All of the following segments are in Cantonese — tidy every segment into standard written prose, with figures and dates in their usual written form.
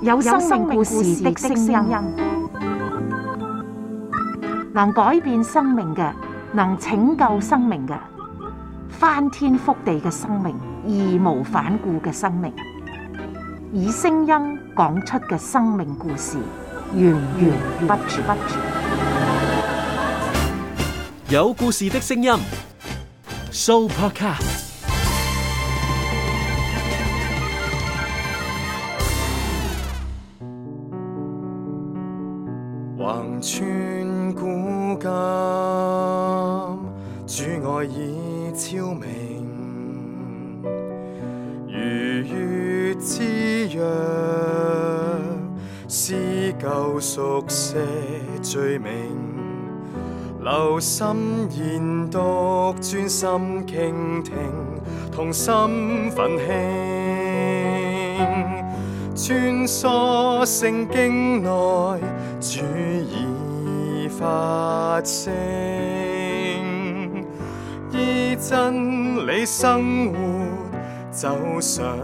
有生命故事的聲音，能改變生命嘅，能拯救生命嘅，翻天覆地嘅生命，義無反顧嘅生命，以聲音講出嘅生命故事，源源不絕。有故事的聲音 ，Sooopodcast。橫穿古今，主愛已超明，如月之約，撕舊熟寫罪名，留心研讀，專心傾聽，同心奮興，穿梭聖經內，主已發聲，依真理生活，走上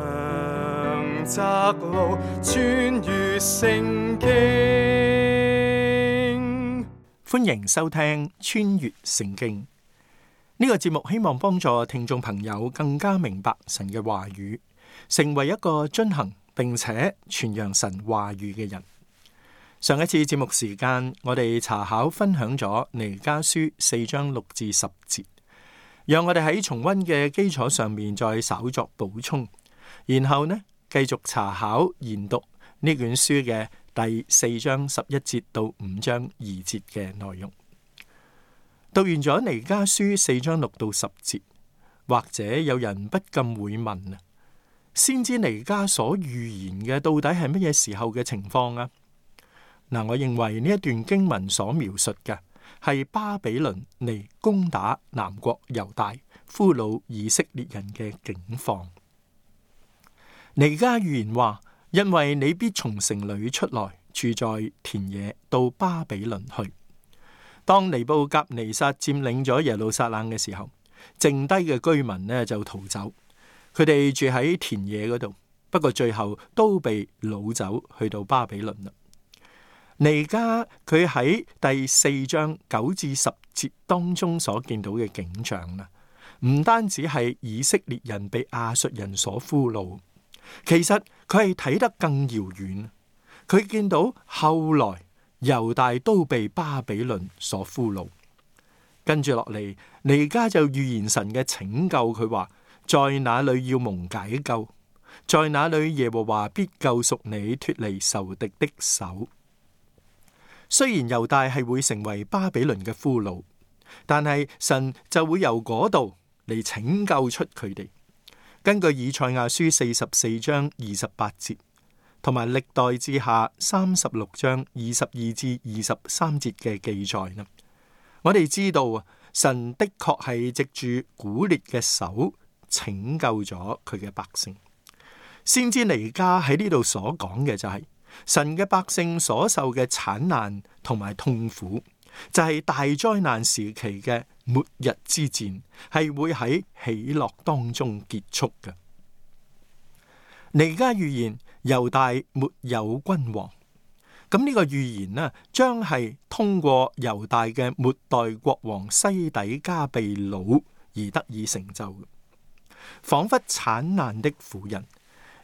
窄路，穿越聖經。歡迎收聽穿越聖經呢個節目，希望幫助聽眾朋友更加明白神嘅話語，成為一個遵行並且傳揚神話語嘅人。上一次節目時間，我哋查考分享咗彌迦書4章6至10節，讓我哋喺重溫嘅基礎上面再稍作補充，然後呢繼續查考研讀呢卷書嘅第4章11節到5章2節嘅內容。讀完咗彌迦書4章6到10節，或者有人不禁會問啊，先知彌迦所預言嘅到底係乜嘢時候嘅情況啊？嗱，我認為呢一段經文所描述嘅係巴比倫嚟攻打南國猶大、俘虜以色列人嘅境況。彌迦預言話，因為你必從城裏出來，住在田野，到巴比倫去。當尼布甲尼撒佔領咗耶路撒冷嘅時候，剩低嘅居民呢就逃走，佢哋住喺田野嗰度，不過最後都被擄走去到巴比倫啦。彌迦佢喺第4章9至10節當中所見到嘅景象啦，唔單止係以色列人被亞述人所俘虜，其實佢係睇得更遙遠。佢見到後來猶大都被巴比倫所俘虜，跟住落嚟，彌迦就預言神嘅拯救。佢話，在那裏要蒙解救，在那裏耶和華必救贖你脫離仇敵的手。雖然猶大係會成為巴比倫嘅俘虜，但係神就會由嗰度嚟拯救出佢哋。根據以賽亞書44章28節，同埋歷代志下36章22至23節嘅記載呢，我哋知道啊，神的確係藉住古列嘅手拯救咗佢嘅百姓。先知彌迦喺呢度所講嘅就係神嘅百姓所受嘅產難同埋痛苦，就係大災難時期嘅末日之戰，係會喺喜樂當中結束嘅。彌迦預言猶大沒有君王，咁呢個預言呢，將係通過猶大嘅末代國王西底家被擄而得以成就嘅。仿佛產難的婦人，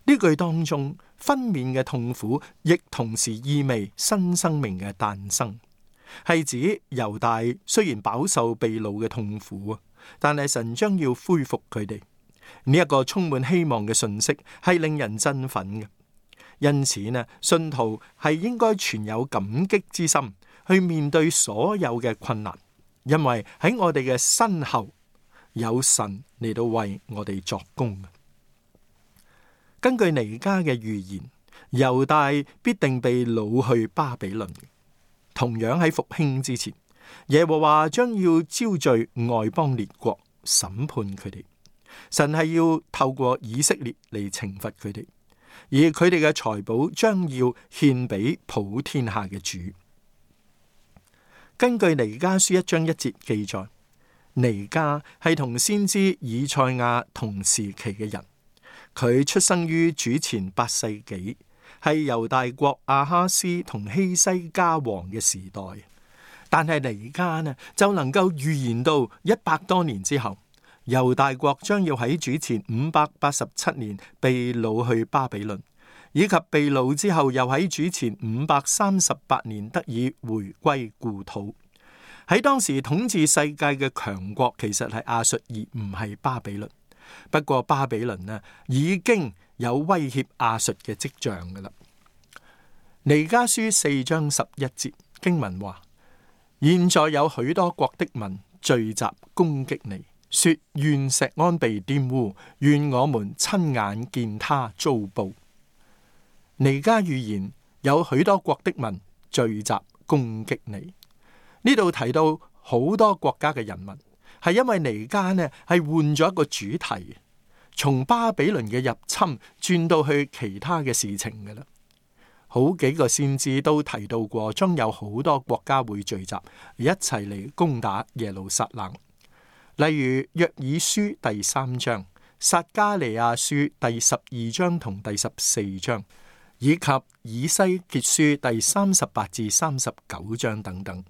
呢句當中分娩嘅痛苦，亦同時意味新生命嘅誕生，係指猶大雖然飽受被擄嘅痛苦啊，但係神將要恢復佢哋。呢一個充滿希望嘅信息係令人振奮嘅，因此呢，信徒係應該存有感激之心去面對所有嘅困難，因為喺我哋嘅身後有神嚟到為我哋作工。根據彌迦嘅預言，猶大必定被擄去巴比倫。同樣喺復興之前，耶和華將要招聚外邦列國審判佢哋。神係要透過以色列嚟懲罰佢哋，而佢哋嘅財寶將要獻俾普天下嘅主。根據彌迦書1章1節記載，彌迦係同先知以賽亞同時期嘅人，佢出生於主前8世紀，係猶大國亞哈斯同希西家王嘅時代，但係彌迦呢就能夠預言到100多年之後，猶大國將要喺主前587年被擄去巴比倫，以及被擄之後又喺主前538年得以回歸故土。喺當時統治世界嘅強國其實係亞述而唔係巴比倫，不過巴比倫呢已經有威脅亞述嘅跡象噶啦。彌迦書4章11節經文話：現在有許多國的民聚集攻擊你，說願錫安被玷污，願我們親眼見他遭報。彌迦預言有許多國的民聚集攻擊你。呢度提到好多國家嘅人民，係因為彌迦呢係換咗一個主題，從巴比倫嘅入侵轉到去其他嘅事情㗎喇。好幾個先知都提到過，將有好多國家會聚集一齊嚟攻打耶路撒冷。例如約珥書第3章、撒迦利亞書第12章同第14章，以及以西結書第38至39章等等，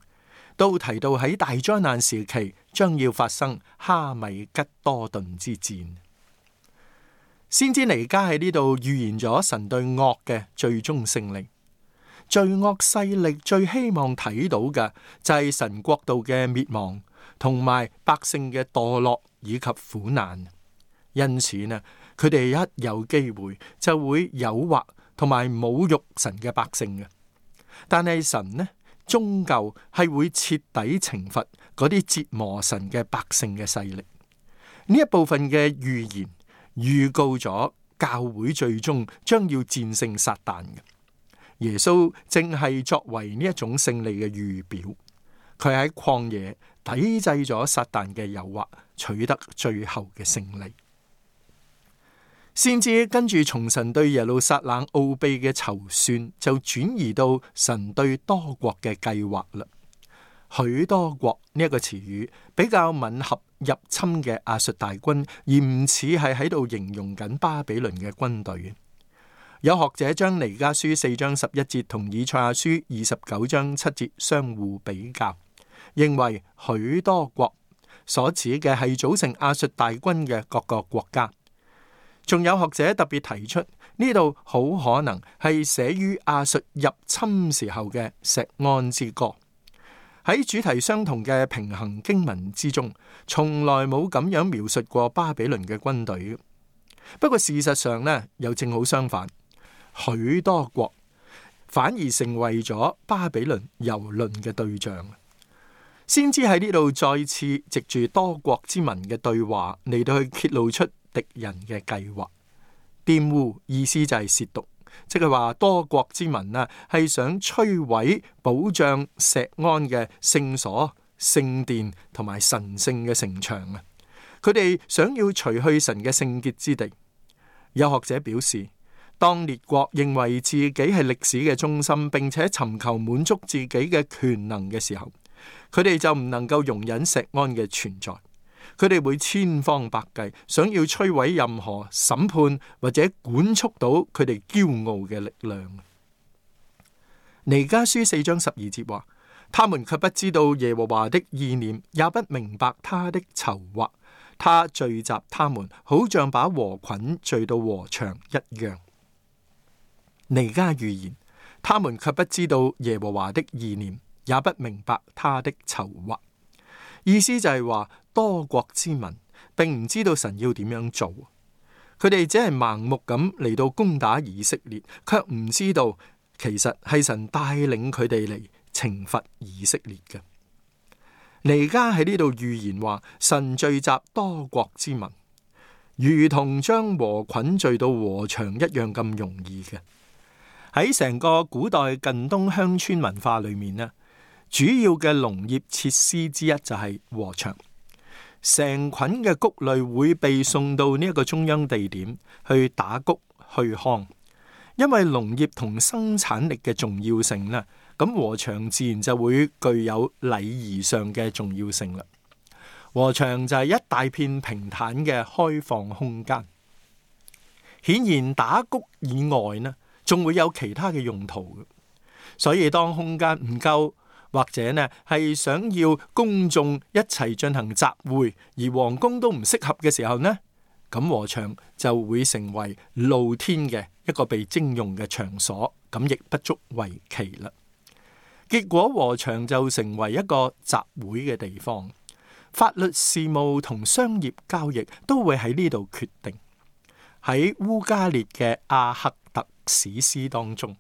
都提到喺大災難時期將要發生哈米吉多頓之戰。先知彌迦喺呢度預言咗神對惡嘅最終勝利。罪惡勢力最希望睇到嘅就係神國度嘅滅亡，同埋百姓嘅墮落以及苦難。因此呢，佢哋一有機會就會誘惑同埋侮辱神嘅百姓嘅。但係神呢，終究係會徹底懲罰嗰啲折磨神嘅百姓嘅勢力。呢一部分嘅預言預告咗教會最終將要戰勝撒旦嘅。耶穌正係作為呢一種勝利嘅預表，佢喺曠野抵制咗撒旦嘅誘惑，取得最後嘅勝利。先知跟住從神對耶路撒冷奧秘嘅籌算，就轉移到神對多國嘅計劃啦。許多國呢一個詞語比較吻合入侵嘅亞述大軍，而唔似係喺度形容緊巴比倫嘅軍隊。有學者將彌迦書4章11節同以賽亞書29章7節相互比較，認為許多國所指嘅係組成亞述大軍嘅各個國家。仲有學者特別提出，呢度好可能係寫於亞述入侵時候嘅錫安之歌。喺主題相同嘅平衡經文之中，從來冇咁樣描述過巴比倫嘅軍隊。不過事實上呢，又正好相反。許多國反而成為咗巴比倫蹂躪嘅對象。先知喺呢度再次藉住多國之民嘅對話嚟到去揭露出敵人嘅計劃。玷污意思就係褻瀆，即係話多國之民啊係想摧毀保障錫安嘅聖所、聖殿同埋神聖嘅城牆啊！佢哋想要除去神嘅聖潔之地。有學者表示，當列國認為自己係歷史嘅中心，並且尋求滿足自己嘅權能嘅時候，佢哋就唔能夠容忍錫安嘅存在。佢哋會千方百計想要摧毀任何審判或者管束到佢哋驕傲嘅力量。彌迦書4章12節話：他們卻不知道耶和華的意念，也不明白他的籌劃。他聚集他們，好像把禾捆聚到禾場一樣。彌迦預言，他們卻不知道耶和華的意念，也不明白他的籌劃。意思就係話，多國之民並唔知道神要點樣做，佢哋只係盲目咁嚟到攻打以色列，卻唔知道其實係神帶領佢哋嚟懲罰以色列嘅。彌迦喺呢度預言話，神聚集多國之民，如同將禾捆聚到禾場一樣咁容易嘅。喺成個古代近東鄉村文化裏面呢，主要嘅農業設施之一就係禾場，成捆嘅穀類會被送到呢一個中央地點去打穀去糠。因為農業同生產力嘅重要性呢，咁禾場自然就會具有禮儀上嘅重要性啦。禾場就係一大片平坦嘅開放空間。顯然打穀以外呢，仲會有其他嘅用途。所以當空間唔夠，或者呢係想要公眾一齊進行集會，而皇宮都唔適合嘅時候呢，咁禾場就會成為露天嘅一個被徵用嘅場所，咁亦不足為奇啦。結果禾場就成為一個集會嘅地方，法律事務同商業交易都會喺呢度決定。喺烏加列嘅阿克特史詩當中，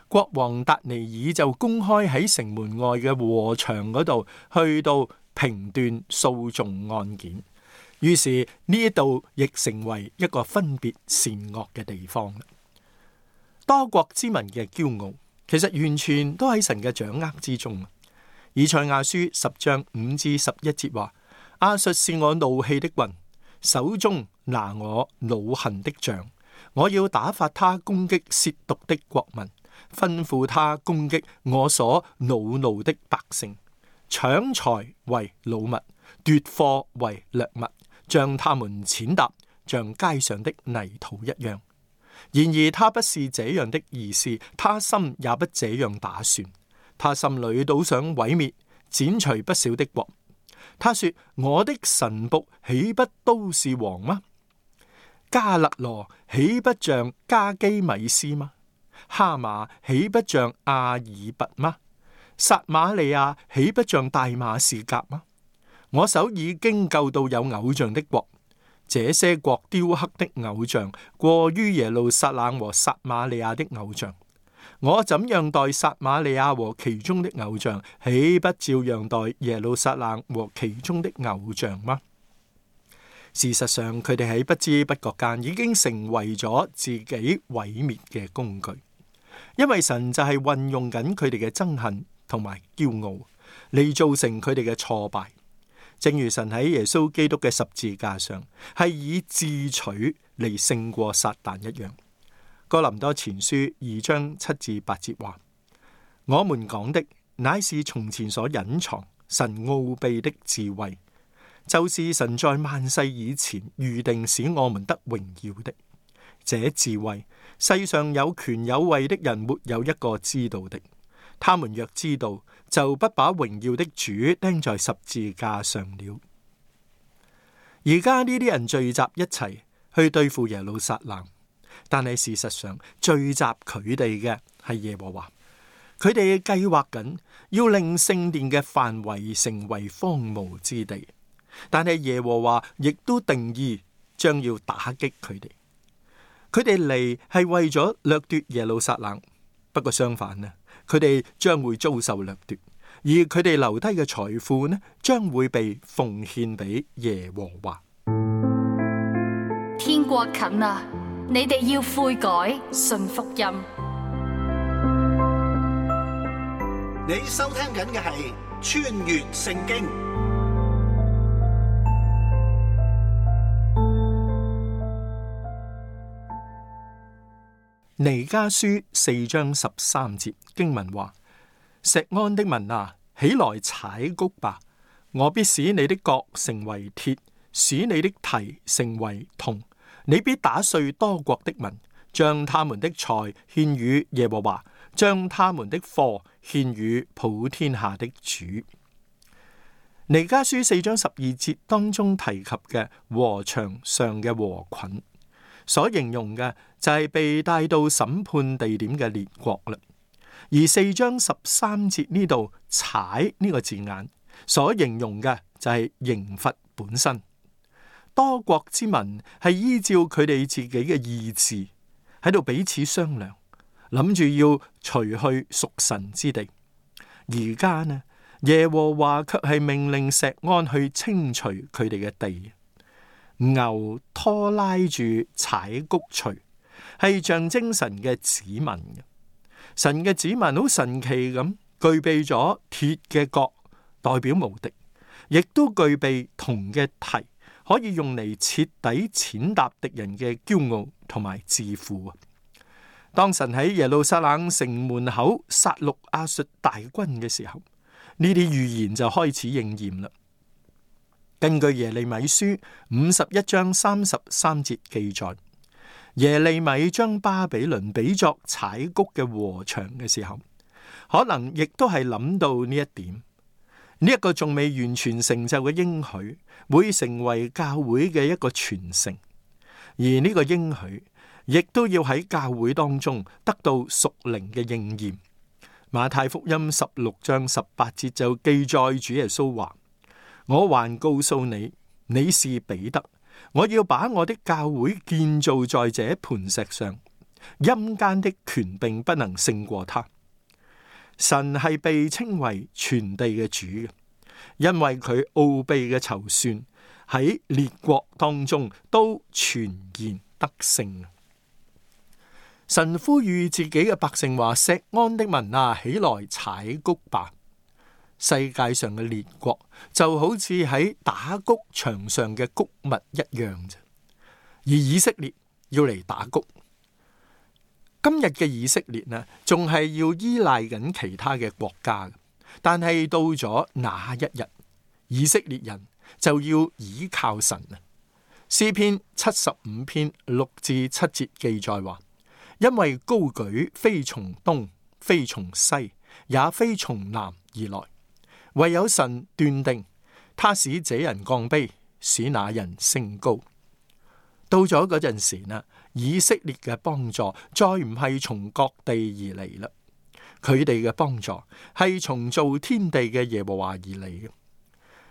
國王達尼爾就公開喺城門外嘅禾場嗰度去到評斷訴訟案件，於是呢度亦成為一個分別善惡嘅地方。多國之民嘅驕傲，其實完全都喺神嘅掌握之中。以賽亞書10章5至11節話：亞述是我怒氣的棍，手中拿我惱恨的杖，我要打發他攻擊褻瀆的國民，吩咐他攻擊我所惱怒的百姓，搶財為擄物，奪貨為掠物，將他們踐踏，像街上的泥土一樣。然而他不是這樣的意思，他心也不這樣打算。他心裏倒想毀滅、剪除不少的國。他說：我的臣僕豈不都是王嗎？加勒羅豈不像加基米斯嗎？哈馬豈不像阿爾拔嗎？撒瑪利亞豈不像大馬士革嗎？我手已經救到有偶像的國，這些國雕刻的偶像過於耶路撒冷和撒瑪利亞的偶像。我怎樣待撒瑪利亞和其中的偶像，豈不照樣待耶路撒冷和其中的偶像嗎？事實上，佢哋喺不知不覺間已經成為咗自己毀滅嘅工具，因為神就係運用緊佢哋嘅憎恨同埋驕傲嚟造成佢哋嘅挫敗。正如神喺耶穌基督嘅十字架上係以智取嚟勝過撒旦一樣。哥林多前書2章7至8節話：我們講的乃是從前所隱藏神奧秘的智慧，就是神在萬世以前預定使我們得榮耀的。這智慧世上有權有位的人沒有一個知道的，他們若知道，就不把榮耀的主釘在十字架上了。而家呢啲人聚集一齊去對付耶路撒冷，但係事實上聚集佢哋嘅係耶和華，佢哋計劃緊要令聖殿嘅範圍成為荒蕪之地，但係耶和華亦都定義將要打擊佢哋。佢哋嚟係為咗掠奪耶路撒冷，不過相反呢，佢哋將會遭受掠奪，而佢哋留低嘅財富呢，將會被奉獻俾耶和華。天國近啦，你哋要悔改，信福音。你收聽緊嘅係穿越聖經。彌迦書4章13節經文話：錫安的民啊，起來踩谷吧，我必使你的角成為鐵，使你的蹄成為銅。你必打碎多國的民，將他們的財獻與耶和華，將他們的貨獻與普天下的主。彌迦書4章12節當中提及嘅禾場上嘅禾捆，所形容嘅就係被帶到審判地點嘅列國啦。而4章13節呢度踩呢個字眼所形容嘅就係刑罰本身。多國之民係依照佢哋自己嘅意志喺度彼此商量，諗住要除去屬神之地。而家呢，耶和華卻係命令錫安去清除佢哋嘅地。牛拖拉住踩谷錘，係象徵神嘅子民嘅。神嘅子民好神奇咁，具備咗鐵嘅角，代表無敵，亦都具備銅嘅蹄，可以用嚟徹底踐踏敵人嘅驕傲同埋自負啊！當神喺耶路撒冷城門口殺戮亞述大軍嘅時候，呢啲預言就開始應驗啦。根據耶利米書51章33節記載，耶利米將巴比倫比作踩谷嘅禾場嘅時候，可能亦都係諗到呢一點。呢一個仲未完全成就嘅應許，會成為教會嘅一個傳承，而呢個應許亦都要喺教會當中得到屬靈嘅應驗。馬太福音16章18節就記載主耶穌話：我還告訴你，你是彼得，我要把我的教會建造在這磐石上，陰間的權柄不能勝過他。神係被稱為全地嘅主嘅，因為佢奧秘嘅籌算喺列國當中都全然得勝。神呼籲自己嘅百姓話：錫安的民啊，起來踩谷吧！世界上嘅列國就好似喺打谷場上嘅谷物一樣啫，而以色列要嚟打谷。今日嘅以色列呢，仲係要依賴緊其他嘅國家，但係到咗那一日，以色列人就要倚靠神啊。詩篇75篇6至7節記載話：因為高舉非從東，非從西，也非從南而來，唯有神斷定，他使這人降卑，使那人升高。到咗嗰陣時呢，以色列嘅幫助再唔係從各地而嚟啦，佢哋嘅幫助係從造天地嘅耶和華而嚟嘅。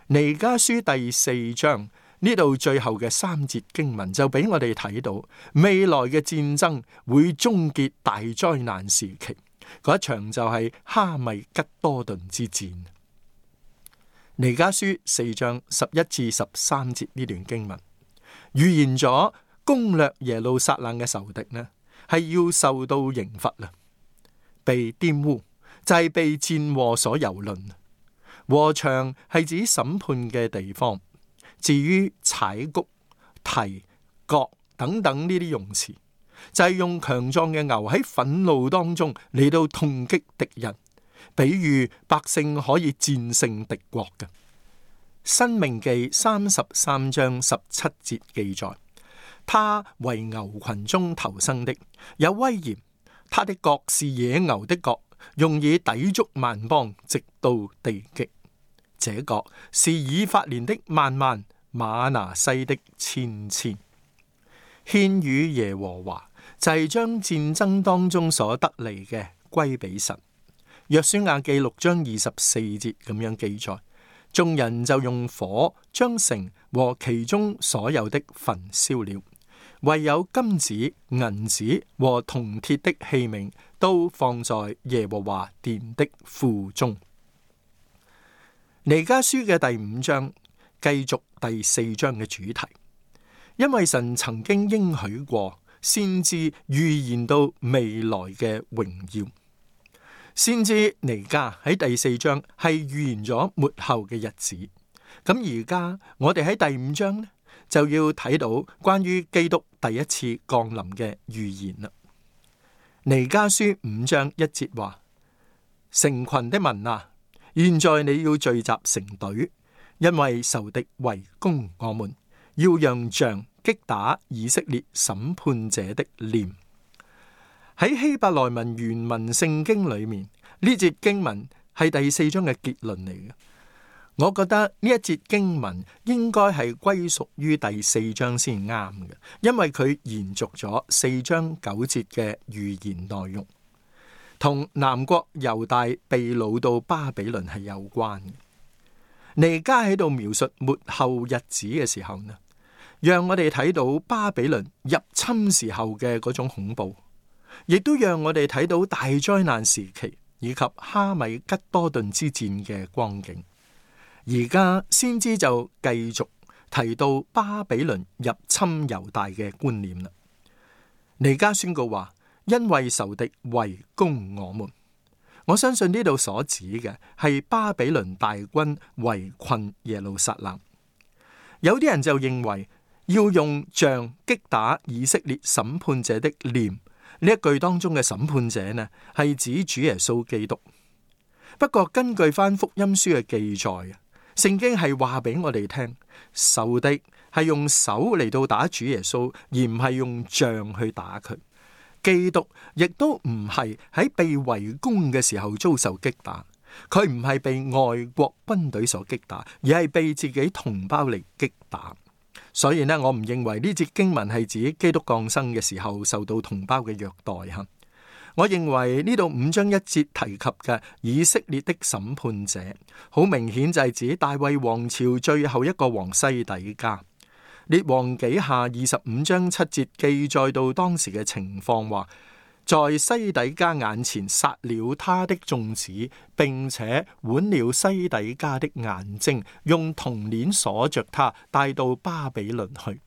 彌迦書第4章呢度最後嘅3節經文就俾我哋睇到未來嘅戰爭會終結大災難時期，嗰一場就係哈米吉多頓之戰。彌迦書4章11至13節呢段經文預言咗攻略耶路撒冷嘅仇敵呢，係要受到刑罰啦，被玷污就係被戰禍所蹂躪。禾場係指審判嘅地方，至於踩谷、蹄、角等等呢啲用詞，就係用強壯嘅牛喺憤怒當中嚟到痛擊敵人，比喻百姓可以戰勝敵國嘅。申命記33章17節記載：他為牛群中頭生的，有威嚴，他的角是野牛的角，用以抵觸萬邦，直到地極。這角是以法蓮的萬萬，瑪拿西的千千。獻與耶和華就係將戰爭當中所得嚟嘅歸俾神。約書亞記6章24節咁樣記載：眾人就用火將城和其中所有的焚燒了，唯有金子、銀子和銅鐵的器皿都放在耶和華殿的庫中。彌迦書嘅第5章繼續第4章嘅主題，因為神曾經應許過，先知預言到未來嘅榮耀。先知彌迦喺第4章係預言咗末後嘅日子，咁而家我哋喺第5章呢，就要睇到關於基督第一次降臨嘅預言啦。彌迦書5章1節話：成群的民啊，現在你要聚集成隊，因為仇敵圍攻我們，要讓杖擊打以色列審判者的臉。喺希伯來文原文聖經裏面，呢節經文係第4章嘅結論嚟嘅。我覺得呢一節經文應該係歸屬於第4章先啱嘅，因為佢延續咗4章9節嘅預言內容，同南國猶大被擄到巴比倫係有關嘅。彌迦喺度描述末後日子嘅時候呢，讓我哋睇到巴比倫入侵時候嘅嗰種恐怖，亦都讓我哋睇到大災難時期以及哈米吉多頓之戰嘅光景。而家先知就繼續提到巴比倫入侵猶大嘅觀念啦。彌迦宣告話：因為仇敵圍攻我們，我相信呢度所指嘅係巴比倫大軍圍困耶路撒冷。有啲人就認為要用杖擊打以色列審判者的臉，呢一句當中嘅審判者呢，係指主耶穌基督。不過根據翻福音書嘅記載，聖經係話俾我哋聽，仇敵係用手嚟到打主耶穌，而唔係用杖去打佢。基督亦都唔係喺被圍攻嘅時候遭受擊打，佢唔係被外國軍隊所擊打，而係被自己同胞嚟擊打。所以呢，我唔認為呢節經文係指基督降生嘅時候受到同胞嘅虐待吓。我認為呢度5章1節提及嘅以色列的審判者，好明顯就係指大衛王朝最後一個王西底家。列王紀下25章7節記載到當時嘅情況，話在西底家眼前殺了他的眾子，並且剜了西底家的眼睛，用銅鏈鎖着他，帶到巴比倫去。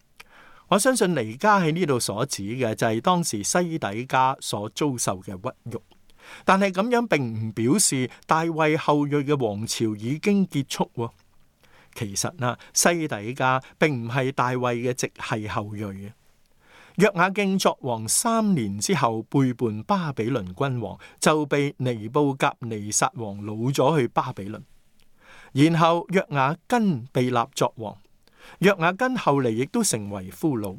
我相信彌迦喺呢度所指嘅就係當時西底家所遭受嘅屈辱，但係咁樣並唔表示大衛後裔嘅王朝已經結束。其實呢，西底家並唔係大衛嘅直系後裔嘅。約雅敬作王3年之後背叛巴比倫君王，就被尼布甲尼撒王擄咗去巴比倫。然後約雅斤被立作王，約雅斤後嚟亦都成為俘虜。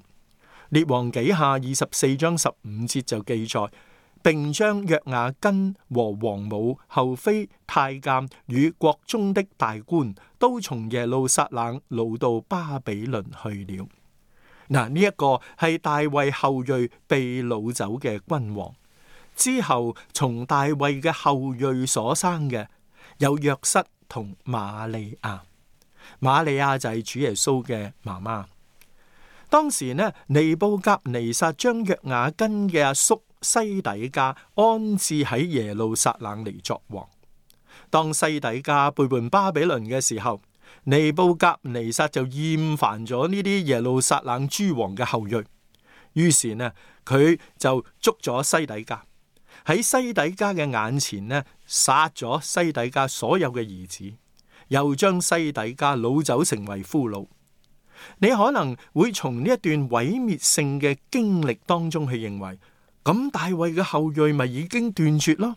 列王紀下24章15節就記載，並將約雅斤和王母、后妃、太監與國中的大官都從耶路撒冷擄到巴比倫去了。嗱，呢一個係大衛後裔被擄走嘅君王。之後從大衛嘅後裔所生嘅有約瑟同瑪利亞。瑪利亞就係主耶穌嘅媽媽。當時呢，尼布甲尼撒將約雅斤嘅阿叔西底家安置喺耶路撒冷嚟作王。當西底家背叛巴比倫嘅時候，尼布甲尼撒就厭煩咗呢啲耶路撒冷諸王嘅後裔，於是呢，佢就捉咗西底家，喺西底家嘅眼前呢，殺咗西底家所有嘅兒子，又將西底家擄走成為俘虜。你可能會從呢一段毀滅性嘅經歷當中去認為，咁大衛嘅後裔咪已經斷絕咯？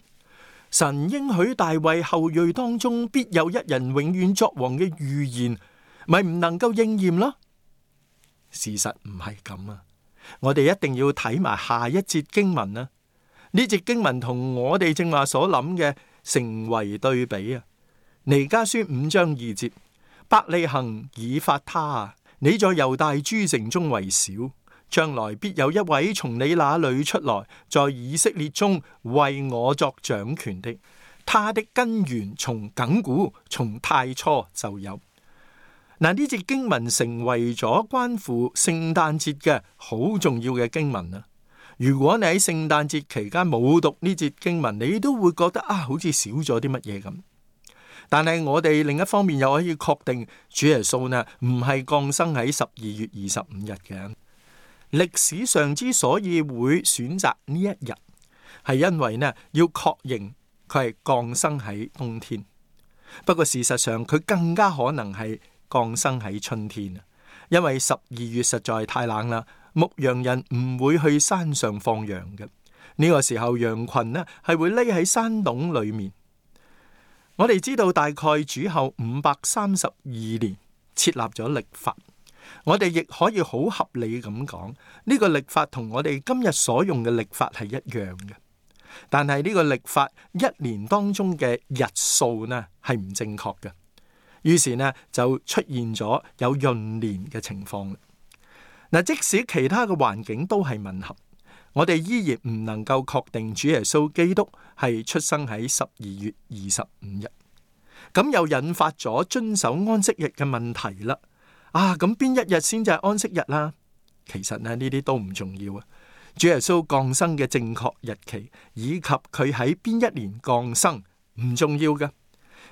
神應許大衛後裔當中必有一人永遠作王嘅預言，咪唔能夠應驗咯？事實唔係咁啊！我哋一定要睇埋下一節經文啊！呢節經文同我哋正話所諗嘅成為對比啊！彌迦書5章2節，伯利恆以法他啊，你在猶大諸城中為小，將來必有一位從你那裏出來，在以色列中為我作掌權的，他的根源從亙古從太初就有。嗱，呢節經文成為咗關乎聖誕節嘅好重要嘅經文啊！如果你喺聖誕節期間冇讀呢節經文，你都會覺得好似少咗啲乜嘢咁。但係我哋另一方面又可以確定，主耶穌呢唔係降生喺12月25日嘅。歷史上之所以會選擇呢一日，係因為呢要確認佢係降生喺冬天。不過事實上佢更加可能係降生喺春天，因為12月實在太冷啦，牧羊人唔會去山上放羊嘅。呢個時候羊群呢係會匿喺山洞裏面。我哋知道大概主後532年設立咗曆法，我哋亦可以好合理咁講，呢個曆法同我哋今日所用嘅曆法係一樣嘅。但係呢個曆法一年當中嘅日數呢係唔正確嘅，於是呢就出現咗有閏年嘅情況。嗱，即使其他嘅環境都係吻合，我哋依然唔能夠確定主耶穌基督係出生喺12月25日。咁又引發咗遵守安息日嘅問題啦。咁邊一日先至係安息日啦？其實呢啲都唔重要啊。主耶穌降生嘅正確日期以及佢喺邊一年降生唔重要嘅，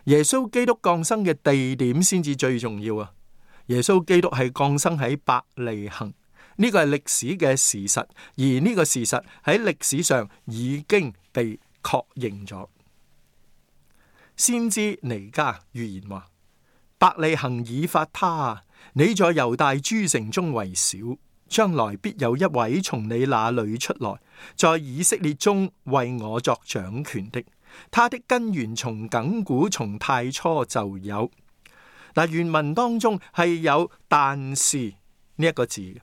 耶穌基督降生嘅地點先至最重要啊。耶穌基督係降生喺伯利恆，呢個係歷史嘅事實，而呢個事實喺歷史上已經被確認咗。先知彌迦預言話：伯利恆以法他啊，你在猶大諸城中為小，將來必有一位從你那裏出來，在以色列中為我作掌權的，他的根源從亙古從太初就有。嗱，原文當中係有但是呢一個字，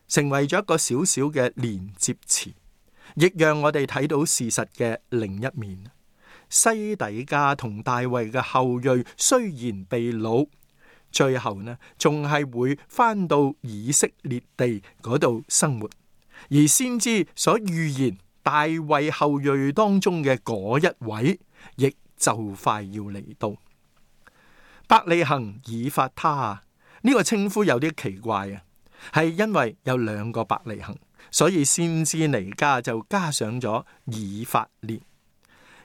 成為咗一個小小嘅連接詞，亦讓我哋睇到事實嘅另一面。西底家同大衛嘅後裔雖然被擄，最後呢仲係會返到以色列地嗰度生活，而先知所預言大衛後裔當中嘅嗰一位，亦就快要嚟到。伯利恆以法他呢個稱呼有啲奇怪啊，係因為有兩個伯利恆，所以先知彌迦就加上咗以法蓮。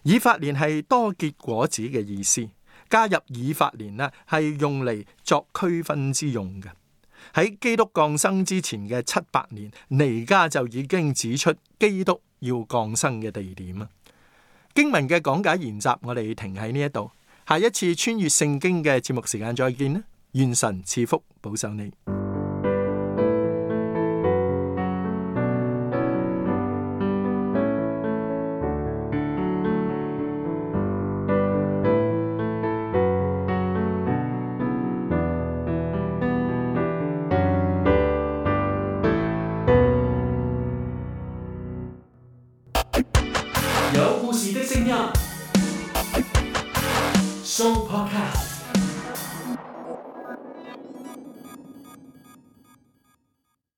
以法蓮係多結果子嘅意思，加入以法蓮呢係用嚟作區分之用嘅。喺基督降生之前嘅700年，彌迦就已經指出基督要降生嘅地點啊。經文嘅講解研習，我哋停喺呢一度，下一次穿越聖經嘅節目時間再見啦！願神賜福保守你。有故事的聲音，Show Podcast。